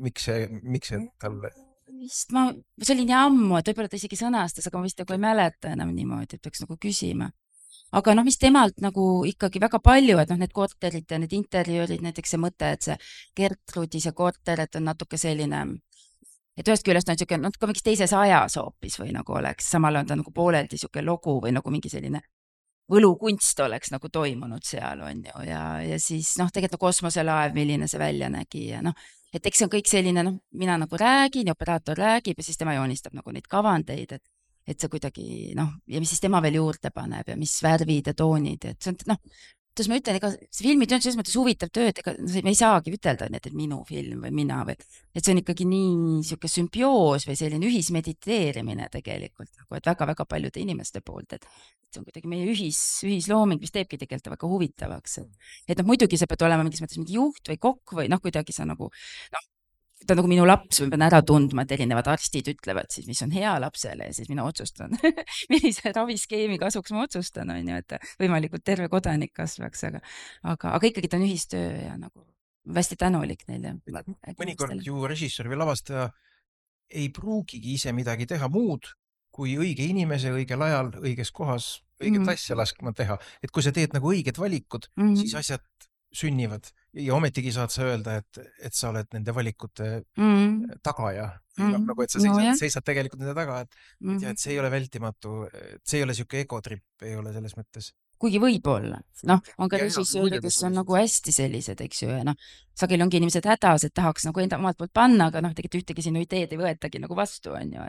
miks see talle... Vist see oli nii ammu, et võib-olla ta isegi sõnastas, aga ma vist ei mäleta enam niimoodi, et peaks nagu küsima. Aga mis temalt nagu ikkagi väga palju, et need korterid ja need interjöörid, näiteks see mõte, et see Gertrudi see korter, et on natuke selline, et ühest küljest on siuke, ka mingis teises ajas hoopis või nagu oleks, samal on ta nagu pooleldi siuke logu või nagu mingi selline võlukunst oleks nagu toimunud seal, on ju, ja siis tegelikult kosmoselaev, milline see välja nägi ja et eks see on kõik selline, mina nagu räägin ja operaator räägib ja siis tema joonistab nagu neid kavandeid, et see kuidagi, ja mis siis tema veel juurde paneb ja mis värvid ja toonid, et see on, kuidas ma ütlen, ega see filmitöö on selles mõttes huvitav töö, et ega me ei saagi ütelda, et minu film või mina või, et see on ikkagi nii siuke sümbioos või selline ühismediteerimine tegelikult, et väga-väga paljude inimeste poolt, et see on kuidagi meie ühislooming, mis teebki tegelikult väga huvitavaks. Et muidugi sa pead olema mingis mõttes mingi juht või kokk või kuidagi sa nagu, ta on nagu minu laps, ma pean ära tundma, et erinevad arstid ütlevad siis, mis on hea lapsele ja siis mina otsustan, millise raviskeemi kasuks ma otsustan, on ju, et võimalikult terve kodanik kasvaks, aga ikkagi ta on ühistöö ja nagu hästi tänulik neile. Mõnikord ju režissöör või lavastaja ei pruugigi ise midagi teha muud, kui õige inimese õigel ajal, õiges kohas, õiget asja laskma teha. Et kui sa teed nagu õiged valikud, siis asjad sünnivad ja ometigi saad sa öelda, et sa oled nende valikute tagaja. Nagu, et sa seisad tegelikult nende taga, et see ei ole vältimatu, see ei ole siuke egotripp, ei ole selles mõttes. Kuigi võib-olla, on ka režissöörid, kes on nagu hästi sellised, eks ju, ja sageli ongi inimesed hädas, et tahaks nagu enda omalt poolt panna, aga tegelikult ühtegi sinu ideed ei võetagi nagu vastu, on ju,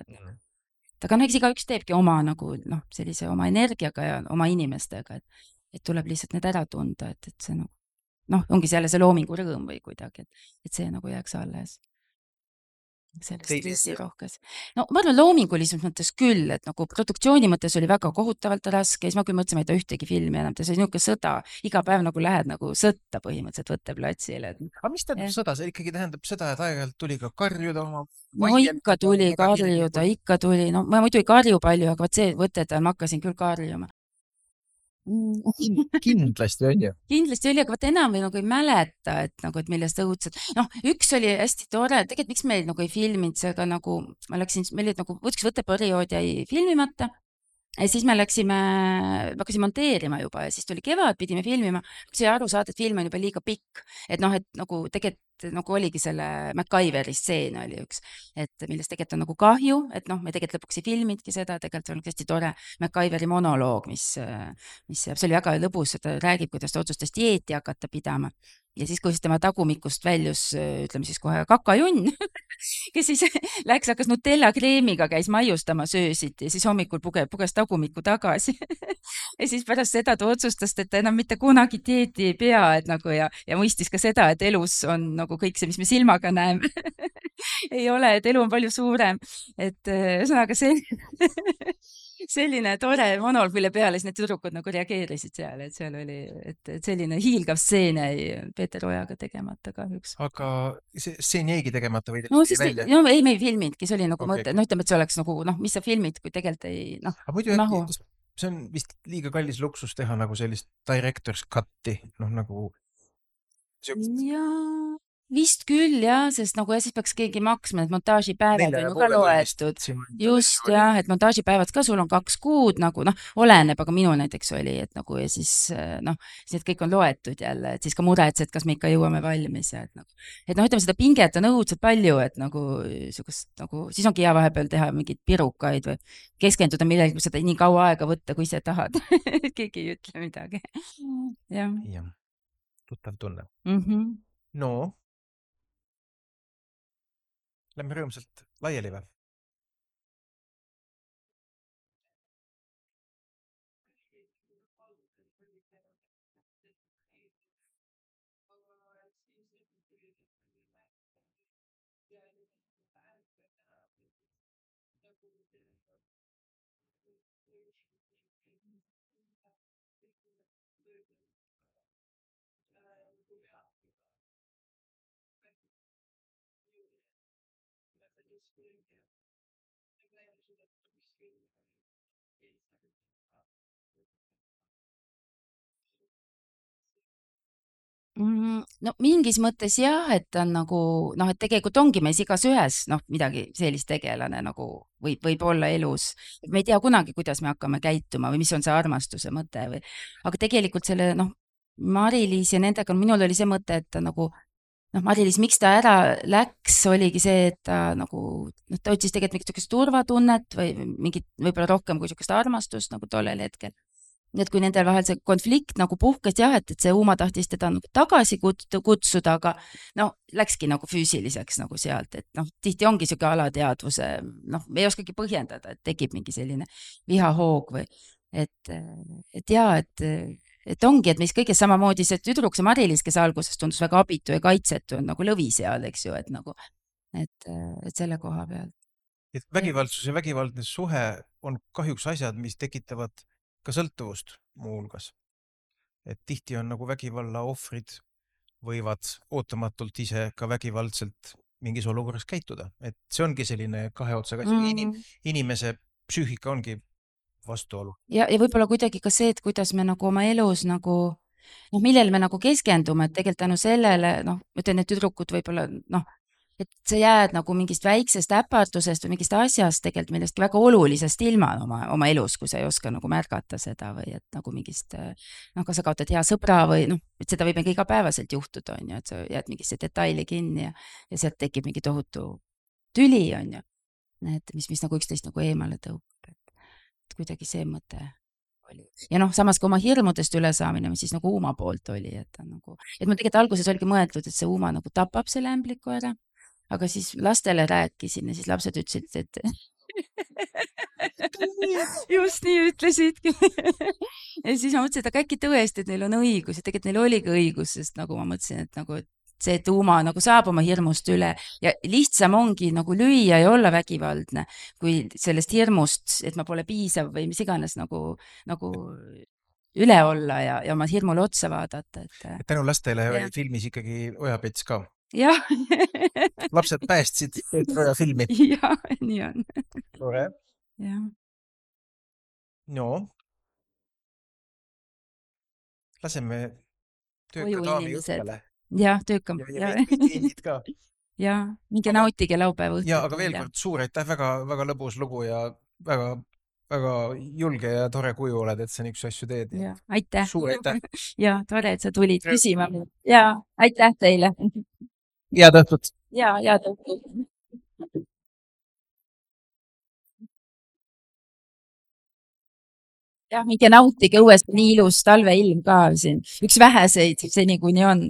aga eks igaüks teebki oma nagu sellise oma energiaga ja oma inimestega, et tuleb lihtsalt need ära tunda, et see ongi selle see loomingu rõõm või kuidagi, et see nagu jääks alles. Selles stressirohkes. Ma arvan loomingulises mõttes küll, et nagu produktsiooni mõttes oli väga kohutavalt raske, siis ma küll mõtlesin, et ei ühtegi filmi enam, see oli niisugune sõda, iga päev nagu lähed nagu sõtta põhimõtteliselt võtteplatsile. Aga mis tähendab sõda? See ikkagi tähendab seda, et aeg-ajalt tuli ka karjuda oma... ikka tuli karjuda, ikka tuli, ma muidu ei karju palju, aga see võtted ma hakkasin küll karjuma. Kindlasti on ju. Kindlasti oli, aga enam nagu ei mäleta, et millest õudselt. Üks oli hästi tore, tegelikult miks meil nagu ei filminud see, aga nagu ma läksin, meil olid nagu üks võtteperiood jäi filmimata ja siis me hakkasin monteerima juba ja siis tuli kevad, pidime filmima, sai aru saada, et film on juba liiga pikk, et nagu tegelikult nagu oligi selle MacGyveri stseen oli üks, et millest tegelikult on nagu kahju, et me tegelikult lõpuks ei filmidki seda, tegelikult on hästi tore MacGyveri monoloog, mis see oli väga lõbus, ta räägib, kuidas ta otsustas dieeti hakata pidama ja siis, kui tema tagumikust väljus, ütleme siis kohe kakajunn, kes siis läks, hakkas Nutella kreemiga, käis maiustama söösid ja siis hommikul puges tagumikku tagasi ja siis pärast seda ta otsustas, et ta enam mitte kunagi dieeti ei pea, et nagu ja mõistis ka seda, et elus on nagu kõik see, mis me silmaga näeme ei ole, et elu on palju suurem, et ühesõnaga see selline tore monoloog, mille peale siis need tüdrukud nagu reageerisid seal, et seal oli, et selline hiilgav stseen jäi Peeter Ojaga tegemata kahjuks. Aga see stseen jäigi tegemata või no siis välja? No ei, me ei filminudki, see oli nagu mõte, no ütleme, et see oleks nagu noh, mis sa filmid, kui tegelikult ei noh, ei mahu. See on vist liiga kallis luksus teha nagu sellist director's cut'i, noh nagu jaa, vist küll jah, sest nagu ja siis peaks keegi maksma, et montaažipäevad on ju ka loetud. Just jah, et montaažipäevad ka sul on 2 kuud nagu noh, oleneb, aga minul näiteks oli, et nagu ja siis noh, siis kõik on loetud jälle, et siis ka muretsed, kas me ikka jõuame valmis ja et noh, ütleme seda pinget on õudselt palju, et nagu sugust nagu, siis ongi hea vahepeal teha mingeid pirukaid või keskenduda millegi, seda nii kaua aega võtta, kui ise tahad. Keegi ei ütle midagi. Jah. Tuttav tunne. No. Lähme rõõmsalt laiali või? No mingis mõttes jah, et on nagu noh, et tegelikult ongi meis igas ühes noh, midagi sellist tegelane nagu võib olla elus. Me ei tea kunagi, kuidas me hakkame käituma või mis on see armastuse mõte või, aga tegelikult selle noh, Mari-Liis ja nendega, minul oli see mõte, et ta nagu noh, Mari-Liis, miks ta ära läks, oligi see, et ta nagu noh, ta otsis tegelikult mingit niisugust turvatunnet või mingit võib-olla rohkem kui niisugust armastust nagu tollel hetkel. Nii et kui nendel vahel see konflikt nagu puhkes jah, et see Uma tahtis teda nagu tagasi kutsuda, aga no läkski nagu füüsiliseks nagu sealt, et noh, tihti ongi siuke alateadvuse, noh, me ei oskagi põhjendada, et tekib mingi selline vihahoog või et jaa, et ongi, et meis kõiges samamoodi see tüdruk, see Mari-Liis, kes alguses tundus väga abitu ja kaitsetu, on nagu lõvi seal, eks ju, et nagu, et selle koha peal. Et vägivaldsus ja vägivaldne suhe on kahjuks asjad, mis tekitavad ka sõltuvust muuhulgas. Et tihti on nagu vägivalla ohvrid võivad ootamatult ise ka vägivaldselt mingis olukorras käituda. Et see ongi selline kahe otsaga. Inimese psüühika ongi vastuolu. Ja võib-olla kuidagi ka see, et kuidas me nagu oma elus nagu noh, millel me nagu keskendume, et tegelikult tänu sellele, noh, ütlen, et tüdrukud võib-olla noh, et sa jääd nagu mingist väiksest äpardusest või mingist asjast tegelikult millestki väga olulisest ilma oma elus, kui sa ei oska nagu märgata seda või et nagu mingist, noh, kas sa kaotad hea sõbra või noh, et seda võib igapäevaselt juhtuda, on ju, et sa jääd mingisse detaili kinni ja sealt tekib mingi tohutu tüli, on ju, et mis nagu üksteist nagu eemale tõukab, et kuidagi see mõte oli. Ja noh, samas ka oma hirmudest ülesaamine, mis siis nagu Uma poolt oli, et nagu, et mul tegelikult alguses oligi mõeldud, et see Uma nagu tapab selle ämbliku ära. Aga siis lastele rääkisin ja siis lapsed ütlesid, et just nii ütlesidki. Ja siis ma mõtlesin, et aga äkki tõesti, et neil on õigus ja tegelikult neil oligi õigus, sest nagu ma mõtlesin, et nagu see, et Uma nagu saab oma hirmust üle ja lihtsam ongi nagu lüüa ja olla vägivaldne, kui sellest hirmust, et ma pole piisav või mis iganes nagu üle olla ja oma hirmule otsa vaadata. Tänu lastele oli filmis ikkagi Ojapets ka. Jah. Lapsed päästsid Troja filmi. Jah, nii on. Tore. Jah. No. Laseme tööka daami õhtale. Jah, töökam. Ja kliendid ka. Ja, minge nautige laupäeva õhtul. Ja, aga veel kord suur aitäh, väga lõbus lugu ja väga julge ja tore kuju oled, et sa niisuguse asju teed. Ja, aitäh. Suur aitäh. Ja, tore, et sa tulid küsima. Ja, aitäh teile. Head õhtut. Ja, head õhtut. Ja, minge nautige õuest, nii ilus talveilm ka siin. Üks väheseid seni, kuni on.